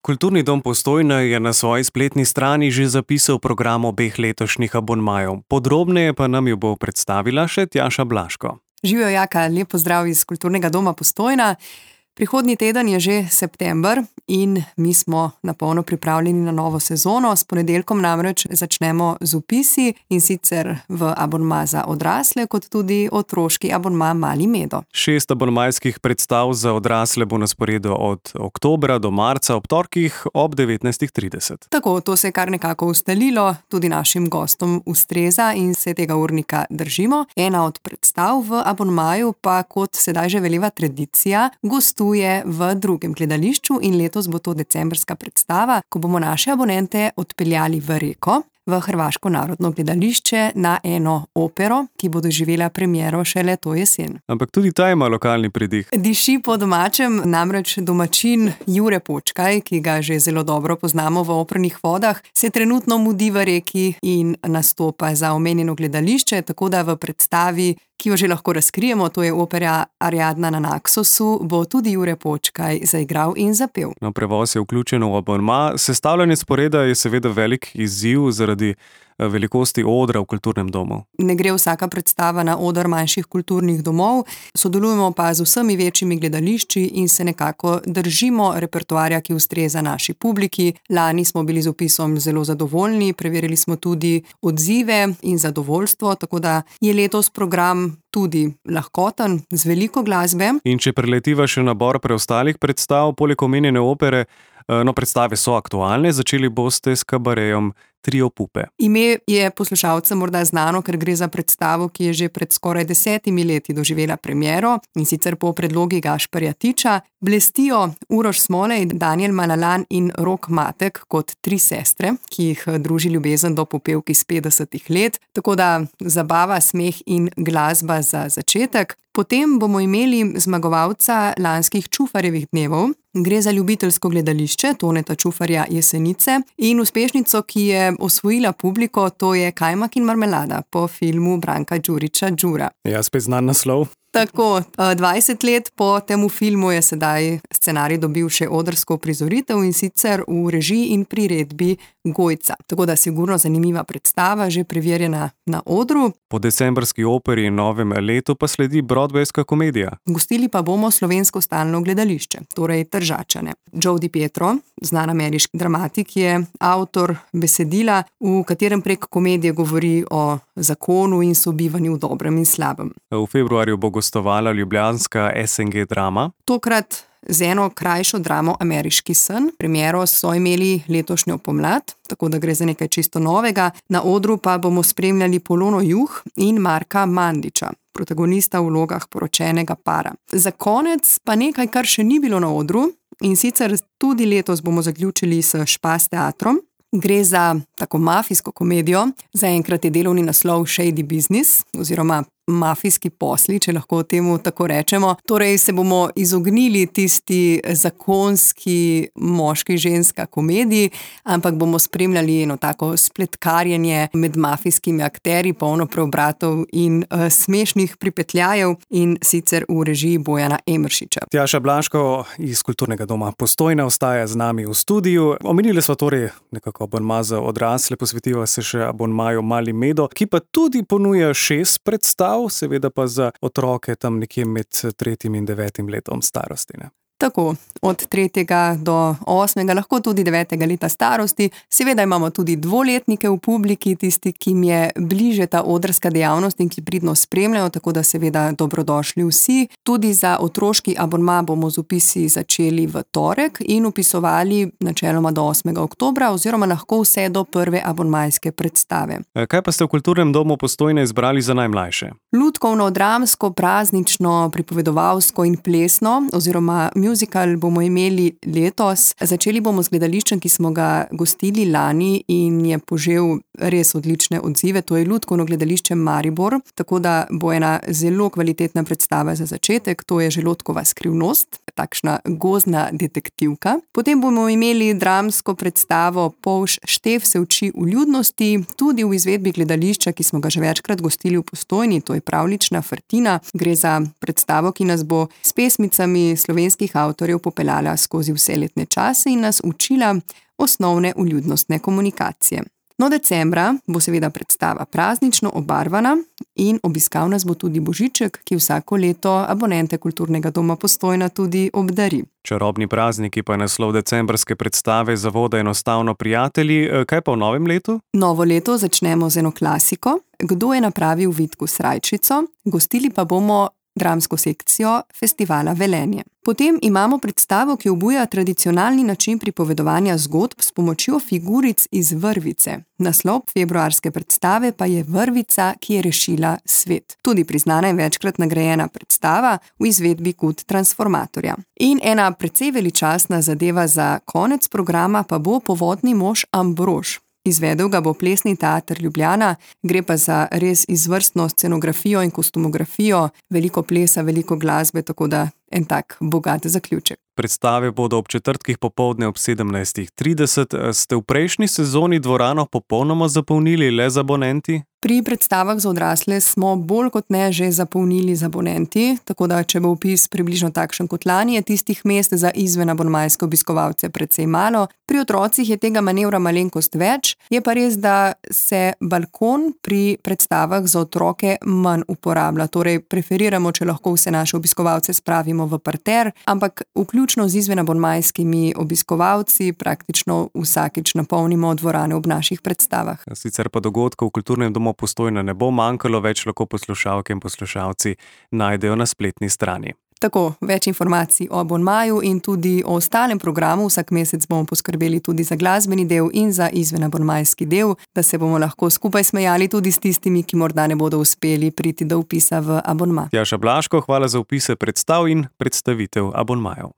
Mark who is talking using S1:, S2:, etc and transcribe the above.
S1: Kulturni dom Postojna je na svoji spletni strani že zapisal program obeh letošnjih abonmajev. Podrobneje pa nam jo bo predstavila še Tjaša Blaško.
S2: Živijo, Jaka, lep pozdrav iz Kulturnega doma Postojna. Prihodnji teden je že september in mi smo na polno pripravljeni na novo sezono. S ponedeljkom namreč začnemo z vpisi, in sicer v abonma za odrasle, kot tudi otroški abonma Mali Medo.
S1: 6 abonmajskih predstav za odrasle bo na sporedu od oktobra do marca ob torkih ob 19:30.
S2: Tako, to se je kar nekako ustalilo, tudi našim gostom ustreza in se tega urnika držimo. Ena od predstav v abonmaju pa, kot sedaj že veleva tradicija, gostuje v drugem gledališču in letos bo to decembrska predstava, ko bomo naše abonente odpeljali v Reko, v Hrvaško narodno gledališče, na eno opero, ki bo doživela premiero šele to jesen.
S1: Ampak tudi ta ima lokalni pridih.
S2: Diši po domačem, namreč domačin Jure Počkaj, ki ga že zelo dobro poznamo v Opernih vodah, se trenutno mudi v Reki in nastopa za omenjeno gledališče, tako da v predstavi, ki jo že lahko razkrijemo, to je opera Ariadna na Naksosu, bo tudi Jure Počkaj zaigral in zapel.
S1: No, prevoz je vključen v abonma. Sestavljanje sporeda je seveda velik izziv zaradi velikosti odra v kulturnem domu.
S2: Ne gre vsaka predstava na oder manjših kulturnih domov, sodelujemo pa z vsemi večjimi gledališči in se nekako držimo repertoarja, ki ustreza naši publiki. Lani smo bili z vpisom zelo zadovoljni, preverili smo tudi odzive in zadovoljstvo, tako da je letos program tudi lahkoten, z veliko glasbe.
S1: In če preletiva še nabor preostalih predstav, poleg omenjene opere, predstave so aktualne, začeli boste s kabarejem Trio Pupe.
S2: Ime je poslušalcem morda znano, ker gre za predstavo, ki je že pred skoraj 10 leti doživela premiero, in sicer po predlogi Gašperja Tiča. Blestijo Uroš Smolej, Danijel Malalan in Rok Matek kot 3 sestre, ki jih druži ljubezen do popevk iz 50 let, tako da zabava, smeh in glasba za začetek. Potem bomo imeli zmagovalca lanskih Čufarjevih dnevov. Gre za ljubiteljsko gledališče Toneta Čufarja Jesenice in uspešnico, ki je osvojila publiko, to je Kajmak in marmelada po filmu Branka Đurića Đura.
S1: Ja, spet znan naslov.
S2: Tako, 20 let po temu filmu je sedaj scenarij dobil še odrsko prizoritev, in sicer v režiji in priredbi Gojca. Tako da sigurno zanimiva predstava, že preverjena na odru.
S1: Po decembrski operi in novem letu pa sledi broadwayska komedija.
S2: Gostili pa bomo Slovensko stalno gledališče, torej Tržačane. Joe DiPietro, znan ameriški dramatik, je avtor besedila, v katerem prek komedije govori o zakonu in sobivanju v dobrem in slabem.
S1: V februarju bo gostovala ljubljanska SNG drama.
S2: Tokrat z eno krajšo dramo Ameriški sen. Premiero so imeli letošnjo pomlad, tako da gre za nekaj čisto novega. Na odru pa bomo spremljali Polono Juh in Marka Mandiča, protagonista v vlogah poročenega para. Za konec pa nekaj, kar še ni bilo na odru, in sicer tudi letos bomo zaključili s Špas teatrom. Gre za tako mafijsko komedijo, zaenkrat je delovni naslov Shady Business oziroma mafijski posli, če lahko temu tako rečemo. Torej se bomo izognili tisti zakonski moški-ženska komediji, ampak bomo spremljali eno tako spletkarjenje med mafijskimi akterji, polno preobratov in smešnih pripetljajev, in sicer v režiji Bojana Emeršiča.
S1: Tjaša Blaško iz Kulturnega doma Postojna ostaja z nami v studiu. Omenili so torej nekako abonma za odrasle, posvetiva se še abonmaju Mali Medo, ki pa tudi ponuja 6 predstav, seveda pa za otroke tam nekje med 3. in 9. letom starosti. Ne?
S2: Tako, od 3. do 8., lahko tudi 9. leta starosti. Seveda imamo tudi dvoletnike v publiki, tisti, ki jim je bliže ta odrska dejavnost in ki pridno spremljajo, tako da seveda dobrodošli vsi. Tudi za otroški abonma bomo z vpisi začeli v torek in vpisovali načeloma do 8. oktobra oziroma lahko vse do prve abonmajske predstave.
S1: Kaj pa ste v Kulturnem domu Postojna izbrali za najmlajše?
S2: Lutkovno, dramsko, praznično, pripovedovalsko in plesno oziroma musical bomo imeli letos. Začeli bomo z gledališčem, ki smo ga gostili lani in je požel res odlične odzive. To je Lutkovno gledališče Maribor, tako da bo ena zelo kvalitetna predstava za začetek. To je Želodkova skrivnost, takšna gozdna detektivka. Potem bomo imeli dramsko predstavo Polž Štef se uči vljudnosti, tudi v izvedbi gledališča, ki smo ga že večkrat gostili v Postojni, to je Pravlična Frtina. Gre za predstavo, ki nas bo s pesmicami slovenskih avtorjev popeljala skozi vse letne čase in nas učila osnovne vljudnostne komunikacije. No, decembra bo seveda predstava praznično obarvana in obiskal nas bo tudi Božiček, ki vsako leto abonente Kulturnega doma Postojna tudi obdari.
S1: Čarobni prazniki pa je naslov decembrske predstave Zavoda enostavno prijatelji. Kaj pa v novem letu?
S2: Novo leto začnemo z eno klasiko. Kdo je napravil Vitku srajčico? Gostili pa bomo dramsko sekcijo Festivala Velenje. Potem imamo predstavo, ki obuja tradicionalni način pripovedovanja zgodb s pomočjo figuric iz vrvice. Naslov februarske predstave pa je Vrvica, ki je rešila svet. Tudi priznana in večkrat nagrajena predstava v izvedbi KUD Transformatorja. In ena precej veličastna zadeva za konec programa pa bo Povodni mož Ambrož. Izvedel ga bo Plesni teater Ljubljana, gre pa za res izvrstno scenografijo in kostumografijo, veliko plesa, veliko glasbe, tako da en tak bogat zaključek.
S1: Predstave bodo ob četrtkih popoldne ob 17:30. Ste v prejšnji sezoni dvorano popolnoma zapolnili le z abonenti?
S2: Pri predstavah za odrasle smo bolj kot ne že zapolnili z abonenti, tako da če bo vpis približno takšen kot lani, je tistih mest za izven abonmajske obiskovalce precej malo. Pri otrocih je tega manevra malenkost več, je pa res, da se balkon pri predstavah za otroke manj uporablja. Torej preferiramo, če lahko vse naše obiskovalce spravimo v parter, ampak vključno z izven abonmajskimi obiskovalci praktično vsakič napolnimo dvorane ob naših predstavah.
S1: Sicer pa dogodkov v Kulturnem domu Postojna ne bo manjkalo, več lahko poslušalke in poslušalci najdejo na spletni strani.
S2: Tako, več informacij o abonmaju in tudi o ostalem programu. Vsak mesec bomo poskrbeli tudi za glasbeni del in za izven abonmajski del, da se bomo lahko skupaj smejali tudi s tistimi, ki morda ne bodo uspeli priti do vpisa v abonma.
S1: Tjaša Blaško, hvala za vpise predstav in predstavitev abonmajev.